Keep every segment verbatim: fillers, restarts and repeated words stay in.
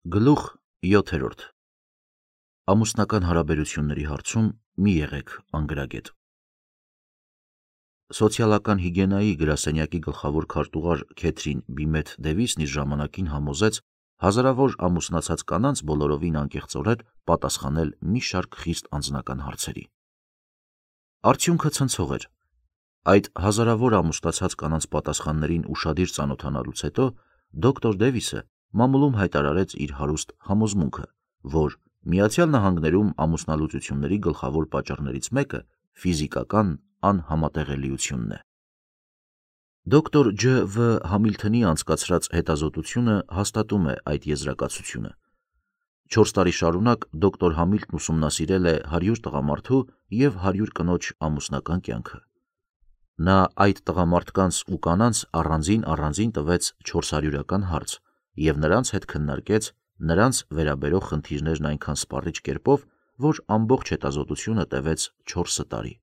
Գլուխ յոթերորդ. Ամուսնական հարաբերությունների հարցում մի եղեք անգրագետ։ Սոցիալական հիգիենայի գրասենյակի գլխավոր քարտուղար Քեթրին Բիմեթ Դևիսն իր ժամանակին համոզեց հազարավոր ամուսնացած կանանց բոլորովին անկեղծորեն պատասխանել մի շարք խիստ անձնական հարցերի։ Արդյունքը ցնցող էր։ Այդ հազարավոր ամուսնացած կանանց պատասխաններին ուշադիր ծանոթանալուց հետո դոկտոր Դևիսը մամուլում հայտարարեց իր հարուստ համոզմունքը, որ Միացյալ Նահանգներում ամուսնալուծությունների գլխավոր պատճառներից մեկը ֆիզիկական անհամատեղելիությունն է։ Դոկտոր Ջ. Վ. Համիլթոնի անցկացրած հետազոտությունը հաստատում է այդ եզրակացությունը։ Չորս տարի շարունակ դոկտոր Համիլթոնն ուսումնասիրել է հարյուր տղամարդու և հարյուր կնոջ ամուսնական կյանքը։ Նա այդ տղամարդկանց ու կանանց առանձին-առանձին տվեց չորսարյուրական հարց և նրանց հետ քննարկեց նրանց վերաբերող խնդիրներն այնքան սպառիչ կերպով, որ ամբողջ հետազոտությունը տևեց չորս տարի։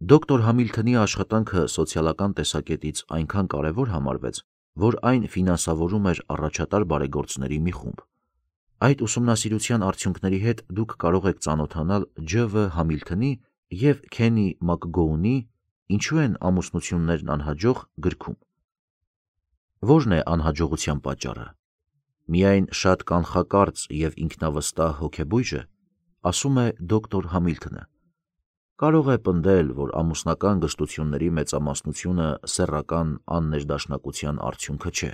Դոկտոր Համիլթոնի աշխատանքը սոցիալական տեսակետից այնքան կարևոր համարվեց, որ այն ֆինանսավորում էր առաջատար բարեգործների մի խումբ։ Այդ ուսումնասիրության արդյունքների հետ դուք կարող եք ծանոթանալ Ջ. Վ. Համիլթոնի և Քենի Մակգոունի «Ինչու են ամուսնություններն անհաջող» գրքում։ Ո՞րն է անհաջողության պատճառը։ Միայն շատ կանխակարծ և ինքնավստահ հոգեբույժը, ասում է դոկտոր Համիլթոնը։ Կարող է պնդել, որ ամուսնական գժտությունների մեծամասնությունը սեռական աններդաշնակության արդյունքը չէ։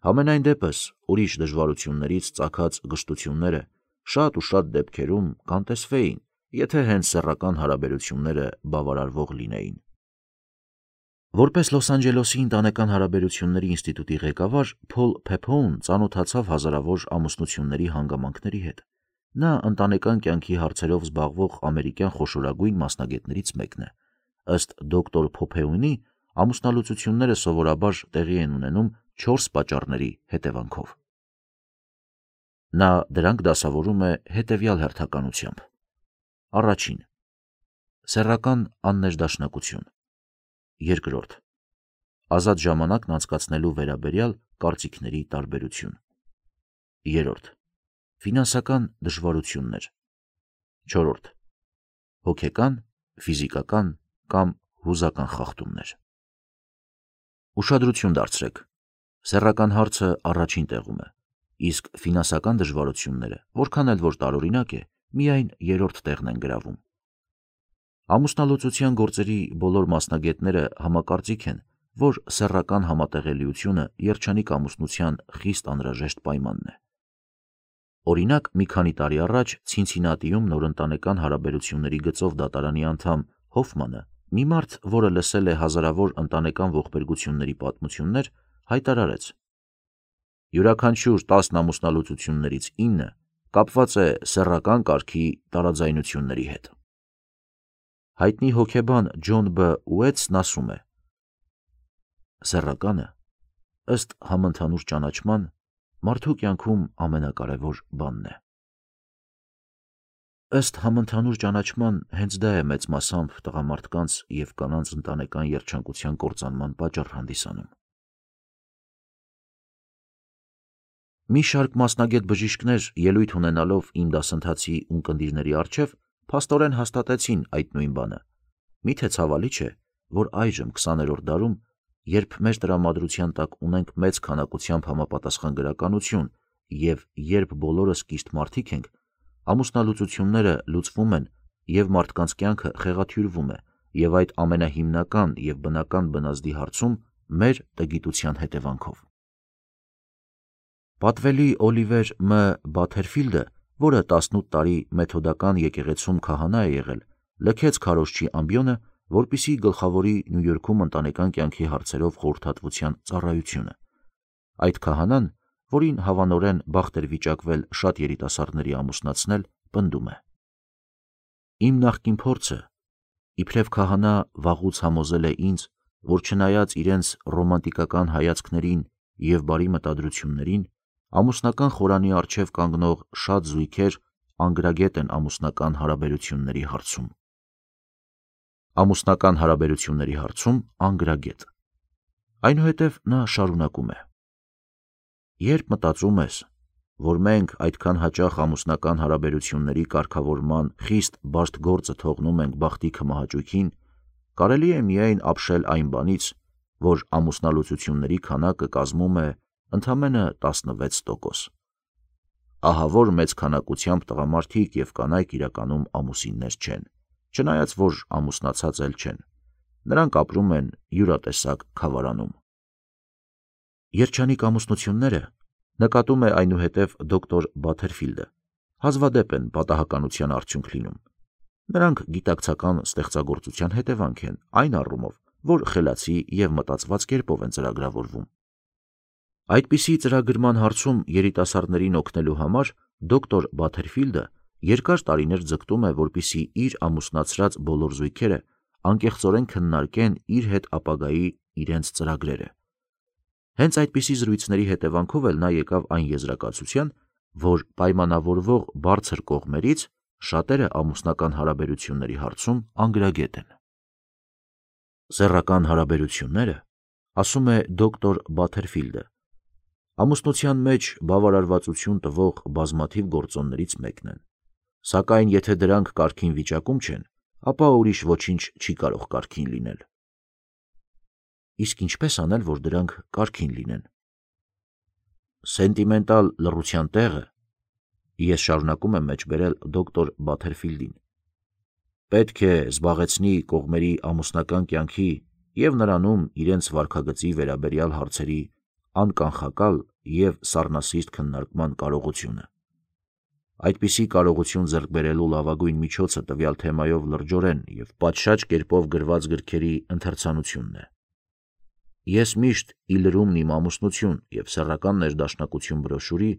Համենայն դեպս, ուրիշ դժվարություններից ծագած գժտությունները շատ ու շատ դեպքերում կանտեսվեին, եթե հենց սեռական հարաբերությունները բավարարվող լինեին։ Որպես Լոս Անջելեսի ընտանեկան հարաբերությունների ինստիտուտի ղեկավար Փոլ Փեփոուն ծանոթացավ հազարավոր ամուսնությունների հանգամանքների հետ։ Նա ընտանեկան կյանքի հարցերով զբաղվող ամերիկյան խոշորագույն մասնագետներից մեկն է։ Ըստ դոկտոր Փոփեունի, ամուսնալուծությունները սովորաբար տեղի են ունենում չորս պատճառների հետևանքով։ Նա դրանք դասավորում է հետևյալ հերթականությամբ. Առաջին. սեռական աններդաշնակություն։ Երկրորդ. ազատ ժամանակն անցկացնելու վերաբերյալ կարծիքների տարբերություն։ Երրորդ. ֆինանսական դժվարություններ։ Չորրորդ. հոգեկան, ֆիզիկական կամ հուզական խախտումներ։ Ուշադրություն դարձրեք. սեռական հարցը առաջին տեղում է, իսկ ֆինանսական դժվարությունները, որքան էլ որ տարօրինակ է, միայն երրորդ տեղն են գրավում։ Ամուսնալուծության գործերի բոլոր մասնագետները համակարծիք են, որ սեռական համատեղելիությունը երջանիկ ամուսնության խիստ անհրաժեշտ պայմանն է։ Օրինակ, մի քանի տարի առաջ Ցինցինատիում նորընտանեկան հարաբերությունների գծով դատարանի անդամ Հոֆմանը, մի մարդ, որը լսել է հազարավոր ընտանեկան ողբերգությունների պատմություններ, հայտարարեց. յուրաքանչյուր տասն ամուսնալուծություններից ինը կապված է սեռական կարգի տարաձայնությունների հետ։ Հայտնի հոգեբան Ջոն Բ. Ուեթսն ասում է. սեռականը, ըստ համընդհանուր ճանաչման, մարդու կյանքում ամենակարևոր բանն է։ Ըստ համընդհանուր ճանաչման, հենց դա է մեծ մասամբ տղամարդկանց և կանանց ընտանեկան երջանկության կործանման պատճառ հանդիսանում։ Մի շարք մասնագետ բժիշկներ, ելույթ ունենալով իմ դասընթացի ունկնդիրների առջև, փաստորեն հաստատեցին այդ նույն բանը։ Միթե ցավալի չէ, որ այժմ քսաներորդ դարում, երբ մեր տրամադրության տակ ունենք մեծ քանակությամբ համապատասխան գրականություն և երբ բոլորս կիշտ մարդիկ ենք, ամուսնալուծությունները լուծվում են և մարդկանց կյանքը խեղաթյուրվում է, և այդ ամենահիմնական և բնական բնազդի հարցում մեր տգիտության հետևանքով։ Պատվելի Օլիվեր Մ. Բաթերֆիլդը, որը տասնութ տարի մեթոդական եկեղեցում քահանա է եղել, լքեց քարոզչի ամբիոնը, որպեսզի գլխավորի Նյու Յորքում ընտանեկան կյանքի հարցերով խորհրդատվության ծառայությունը։ Այդ քահանան, որին հավանորեն բախտ էր վիճակվել շատ երիտասարդների ամուսնացնել, պնդում է. Իմ նախկին փորձը, իբրև քահանա, վաղուց համոզել է ինձ, որ չնայած իրենց ռոմանտիկական հայացքներին և բարի մտադրություններին, ամուսնական խորանի առջև կանգնող շատ զույգեր անգրագետ են ամուսնական հարաբերությունների հարցում։ Ամուսնական հարաբերությունների հարցում անգրագետ։ Այնուհետև նա շարունակում է. Երբ մտածում ես, որ մենք այդքան հաճախ ամուսնական հարաբերությունների կարգավորման խիստ բարդ գործը թողնում ենք բախտի քմահաճույքին, կարելի է միայն ապշել այն բանից, որ ամուսնալուծությունների քանակը կազմում է ընդամենը տասնվեց տոկոս։ Ահա որ մեծ քանակությամբ տղամարդիկ և կանայք իրականում ամուսիններ չեն, չնայած որ ամուսնացած էլ չեն, նրանք ապրում են յուրատեսակ քավարանում։ Երջանիկ ամուսնությունները, նկատում է այնուհետև դոկտոր Բաթերֆիլդը, հազվադեպ են պատահականության արդյունք լինում։ Նրանք գիտակցական ստեղծագործության հետևանք են այն առումով, որ խելացի և մտածված կերպով են ծրագրավորվում։ Այդպիսի ծրագրման հարցում երիտասարդներին օգնելու համար դոկտոր Բաթերֆիլդը երկար տարիներ ձգտում է, որպեսզի իր ամուսնացրած բոլոր զույգերը անկեղծորեն քննարկեն իր հետ ապագայի իրենց ծրագրերը։ Հենց այդպիսի զրույցների հետևանքով էլ նա եկավ այն եզրակացության, որ պայմանավորվող բարձր կողմերից շատերը ամուսնական հարաբերությունների հարցում անգրագետ են։ Սեռական հարաբերությունները, ասում է դոկտոր Բաթերֆիլդը, ամուսնության մեջ բավարարվածություն տվող բազմաթիվ գործոններից մեկն են, սակայն եթե դրանք կարգին վիճակում չեն, ապա ուրիշ ոչինչ չի կարող կարգին լինել։ Իսկ ինչպես անել, որ դրանք կարգին լինեն։ Սենտիմենտալ լռության տեղը, ես շարունակում եմ մեջբերել դոկտոր Բաթերֆիլդին, պետք է զբաղեցնի կողմերի ամուսնական կյանքի և նրանում իրենց վարքագծի վերաբերյալ հարցերի անկանխակալ և սառնասիրտ քննարկման կարողությունը։ Այդպիսի կարողություն ձեռք բերելու լավագույն միջոցը տվյալ թեմայով լրջորեն և պատշաճ կերպով գրված գրքերի ընթերցանությունն է։ Ես միշտ «Ի լրումն իմ ամուսնություն» և «Սեռական ներդաշնակություն» բրոշյուրի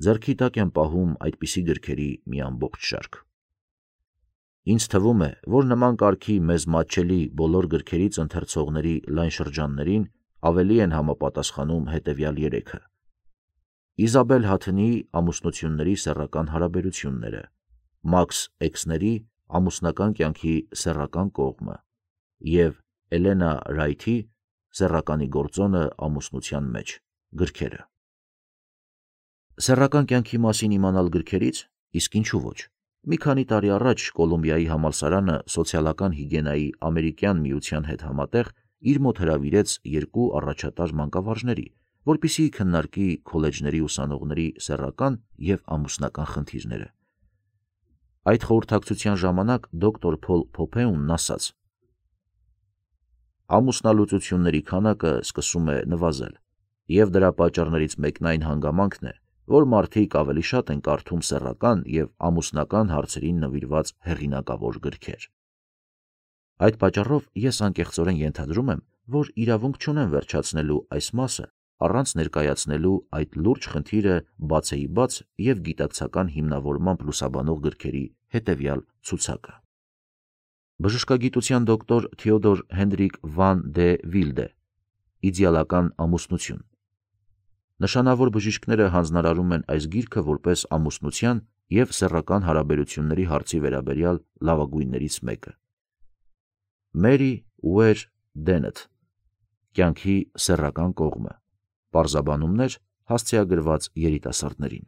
ձեռքի տակ եմ պահում այդպիսի գրքերի մի ամբողջ շարք։ Ինձ թվում է, որ նման կարգի մեզ մատչելի բոլոր գրքերից ընթերցողների լայն շրջաններին ավելի են համապատասխանում հետևյալ երեքը. Իզաբել Հաթնիի «Ամուսնությունների սեռական հարաբերությունները», Մաքս Էքսների «Ամուսնական կյանքի սեռական կողմը» և Էլենա Ռայթի «Սեռականի գործոնը ամուսնության մեջ» գրքերը։ Սեռական կյանքի մասին իմանալ գրքերից, իսկ ինչու ոչ։ Մի քանի տարի առաջ Կոլումբիայի համալսարանը սոցիալական հիգիենայի ամերիկյան միության հետ համատեղ իր մոտ հրավիրեց երկու առաջատար մանկավարժների, որպեսզի քննարկի քոլեջների ուսանողների սեռական և ամուսնական խնդիրները։ Այդ խորհրդակցության ժամանակ դոկտոր Փոլ Փոփեունն ասաց. ամուսնալուծությունների քանակը սկսում է նվազել, և դրա պատճառներից մեկն այն հանգամանքն է, որ մարդիկ ավելի շատ են կարդում սեռական և ամուսնական հարցերին նվիրված հեղինակավոր գրքեր։ Այդ պատճառով ես անկեղծորեն ենթադրում եմ, որ իրավունք չունեմ վերջացնելու այս մասը առանց ներկայացնելու այդ լուրջ խնդիրը բացեիբաց և գիտակցական հիմնավորմամբ լուսաբանող գրքերի հետևյալ ցուցակը։ Բժշկագիտության դոկտոր Թեոդոր Հենրիկ վան դե Վիլդե «Իդեալական ամուսնություն». Նշանավոր բժիշկները հանձնարարում են այս գիրքը որպես ամուսնության և սեռական հարաբերությունների հարցի վերաբերյալ լավագույններից մեկը։ Մերի Ուեր Դենեթ «Կյանքի սեռական կողմը», պարզաբանումներ հասցեագրված երիտասարդներին։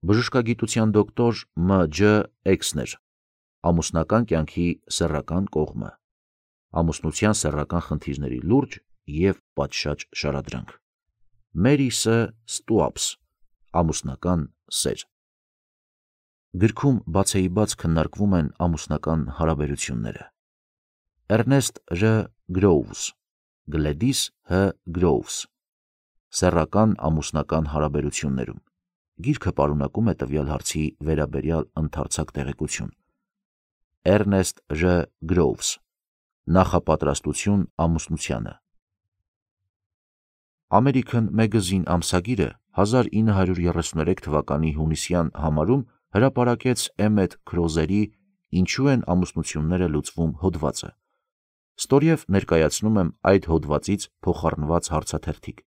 Բժշկագիտության դոկտոր Մ Ջ Էքսներ «Ամուսնական կյանքի սեռական կողմը», ամուսնության սեռական խնդիրների լուրջ և պատշաճ շարադրանք։ Մերի Ս Ստուապս «Ամուսնական սեր»։ Գրքում բացեիբաց քննարկվում են ամուսնական հարաբերությունները։ Էրնեստ Ռ Գրոուվս Գլեդիս Հ Գրոուվս «Սեռական ամուսնական հարաբերություններում» գիրքը պարունակում է տվյալ հարցի վերաբերյալ ընդարձակ տեղեկություն։ Էրնեստ Ռ Գրոուվս Նախապատրաստություն ամուսնությանը։ American Magazine ամսագիրը հազար ինը հարյուր երեսուներեք թվականի հունիսյան համարում հրապարակեց Էմետ Քրոզերի «Ինչու են ամուսնությունները լուծվում» հոդվածը։ Ստորև ներկայացնում եմ այդ հոդվածից փոխառնված հարցաթերթիկ։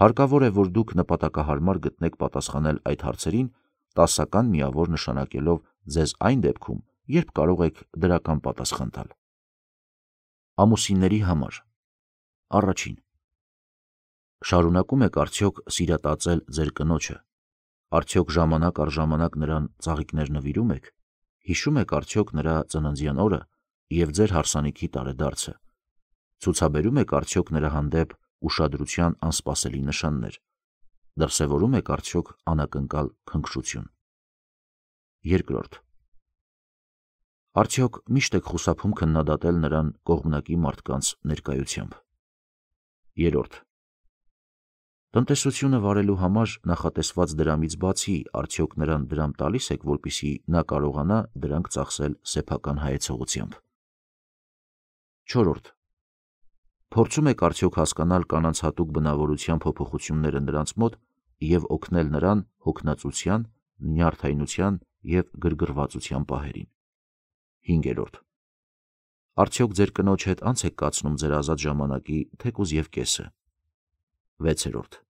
Հարկավոր է, որ դուք նպատակահարմար գտնեք պատասխանել այդ հարցերին, տասական միավոր նշանակելով ձեզ այն դեպքում, երբ կարող եք դրական պատասխան տալ։ Ամուսինների համար։ Առաջին. Շարունակում եք արդյոք սիրատածել ձեր կնոջը, արդյոք ժամանակ առ ժամանակ նրան ծաղիկներ նվիրում եք, հիշում եք արդյոք նրա ծննդյան օրը և ձեր հարսանիքի տարեդարձը, ցուցաբերում եք արդյոք նրա հանդեպ ուշադրության անսպասելի նշաններ, դրսևորում եք արդյոք անակնկալ քնքշություն։ Երկրորդ. Արդյոք միշտ եք խուսափում քննադատել նրան կողմնակի մարդկանց ներկայությամբ։ Երրորդ. Տնտեսությունը վարելու համար նախատեսված դրամից բացի արդյոք նրան դրամ տալիս եք, որպեսզի նա կարողանա դրանք ծախսել սեփական հայեցողությամբ։ Չորրորդ. Փորձում եք արդյոք հասկանալ կանանց հատուկ բնավորության փոփոխությունները նրանց մոտ և օգնել նրան հոգնածության, նյարդայնության և գրգռվածության պահերին։ Հինգերորդ. Արդյոք ձեր կնոջ հետ անց եք կացնում ձեր ազատ ժամանակի թեկուզ և կեսը։ Վեցերորդ.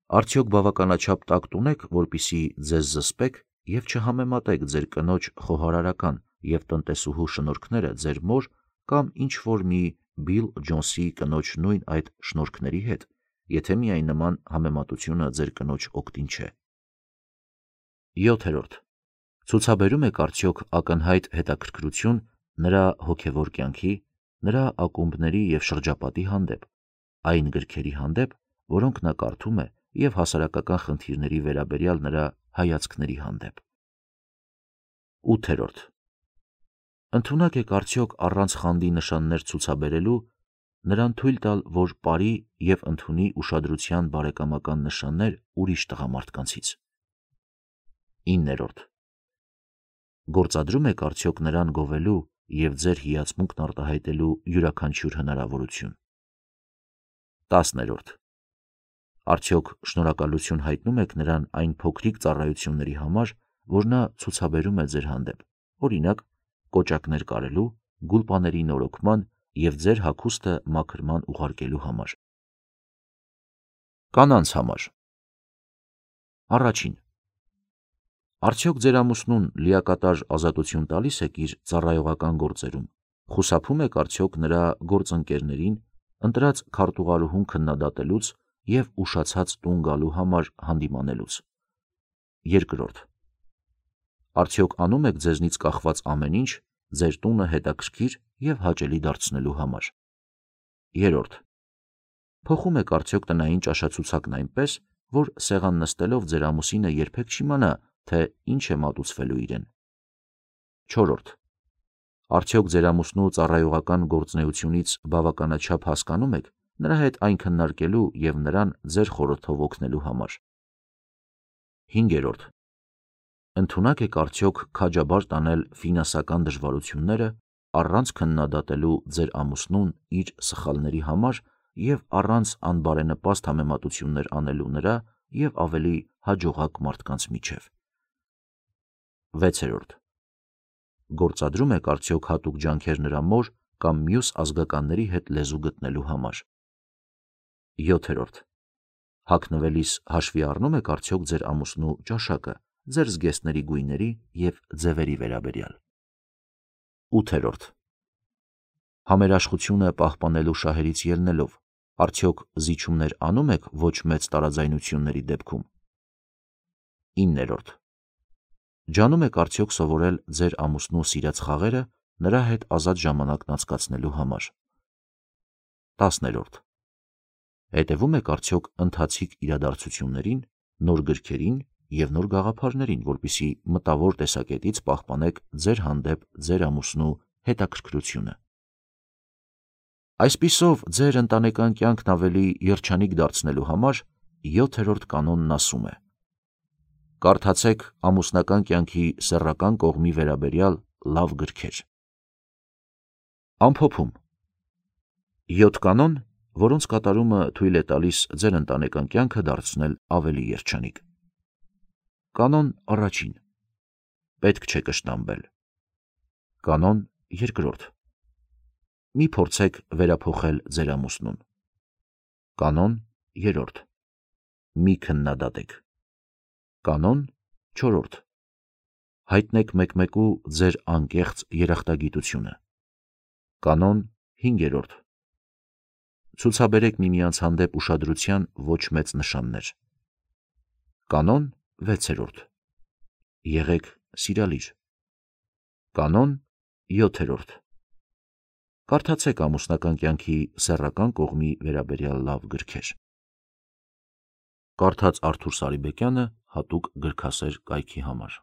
Արդյոք բավականաչափ տակտ ունեք, որպեսզի ձեզ զսպեք և չհամեմատեք ձեր կնոջ խոհարարական և տնտեսուհու շնորհքները ձեր մոր կամ ինչ-որ մի Բիլ Ջոնսի կնոջ նույն այդ շնորհքների հետ, եթե միայն նման համեմատությունը ձեր կնոջ օգտին չէ։ Յոթերորդ. Ցուցաբերում եք արդյոք ակնհայտ հետաքրքրություն նրա հոգևոր կյանքի, նրա ակումբների և շրջապատի հանդեպ, այն գրքերի հանդեպ, որոնք նա կարդում է, և հասարակական խնդիրների վերաբերյալ նրա հայացքների հանդեպ։ Ութերորդ. Ընդունակ եք արդյոք առանց խանդի նշաններ ցուցաբերելու նրան թույլ տալ, որ պարի և ընդունի ուշադրության բարեկամական նշաններ ուրիշ տղամարդկանցից։ Իններորդ. Գործադրում եք արդյոք նրան գովելու և ձեր հիացմունքն արտահայտելու յուրաքանչյուր հնարավորություն։ Տասներորդ. Արդյոք շնորհակալություն հայտնում եք նրան այն փոքրիկ ծառայությունների համար, որ նա ցուցաբերում է ձեր հանդեպ, օրինակ, կոճակներ կարելու, գուլպաների նորոգման և ձեր հագուստը մաքրման ուղարկելու համար։ Կանանց համար։ Առաջին. Արդյոք ձեր ամուսնուն լիակատար ազատություն տալիս եք իր ծառայողական գործերում, խուսափում եք արդյոք նրա գործընկերներին ընտրած քարտուղարուհուն քննադատելուց և ուշացած տուն գալու համար հանդիմանելուց։ Երկրորդ. Արդյոք անում եք ձեզնից կախված ամեն ինչ ձեր տունը հետաքրքիր և հաճելի դարձնելու համար։ Երրորդ. Փոխում եք արդյոք տնային ճաշացուցակն այնպես, որ սեղան նստելով ձեր ամուսինը երբեք չիմանա, թե ինչ է մատուցվելու իրեն։ Չորրորդ. Արդյոք ձեր ամուսնու ծառայողական գործունեությունից բավականաչափ հասկանում եք նրա հետ այն քննարկելու և նրան ձեր խորհրդով օգնելու համար։ Հինգերորդ. Ընդունակ եք արդյոք քաջաբար տանել ֆինանսական դժվարությունները առանց քննադատելու ձեր ամուսնուն իր սխալների համար և առանց անբարենպաստ համեմատություններ անելու նրա և ավելի հաջողակ մարդկանց միջև։ Վեցերորդ. Գործադրում եք արդյոք հատուկ ջանքեր նրա մոր կամ մյուս ազգականների հետ լեզու գտնելու համար։ Յոթերորդ. Հագնվելիս հաշվի առնում եք արդյոք ձեր ամուսնու ճաշակը, ձեր զգեստների գույների և ձևերի վերաբերյալ։ Ութերորդ. Համերաշխությունը պահպանելու շահերից ելնելով, արդյոք զիջումներ անում եք ոչ մեծ տարաձայնությունների դեպքում։ Իններորդ. Ջանում եք արդյոք սովորել ձեր ամուսնու սիրած խաղերը նրա հետ ազատ ժամանակն անցկացնելու համար։ Տասներորդ. Հետևում եք արդյոք ընթացիկ իրադարձություններին, նոր գրքերին և նոր գաղափարներին, որպեսզի մտավոր տեսակետից պահպանեք ձեր հանդեպ ձեր ամուսնու հետաքրքրությունը։ Այսպիսով, ձեր ընտանեկան կյանքն ավելի երջանիկ դարձնելու համար յոթերորդ կանոնն ասում է. Կարդացեք ամուսնական կյանքի սեռական կողմի վերաբերյալ լավ գրքեր։ Ամփոփում. Յոթ կանոն, որոնց կատարումը թույլ է տալիս ձեր ընտանեկան կյանքը դարձնել ավելի երջանիկ։ Կանոն առաջին. Պետք չէ կշտամբել։ Կանոն երկրորդ. Մի փորձեք վերափոխել ձեր ամուսնուն։ Կանոն երրորդ. Մի քննադատեք։ Կանոն չորրորդ. Հայտնեք մեկմեկու ձեր անկեղծ երախտագիտությունը։ Կանոն հինգերորդ. Ցուցաբերեք միմյանց հանդեպ ուշադրության ոչ մեծ նշաններ։ Կանոն վեցերորդ. Եղեք սիրալիր։ Կանոն յոթերորդ. Կարդացեք ամուսնական կյանքի սեռական կողմի վերաբերյալ լավ գրքեր։ Կարդաց Արթուր Սարիբեկյանը հատուկ գրքասեր կայքի համար։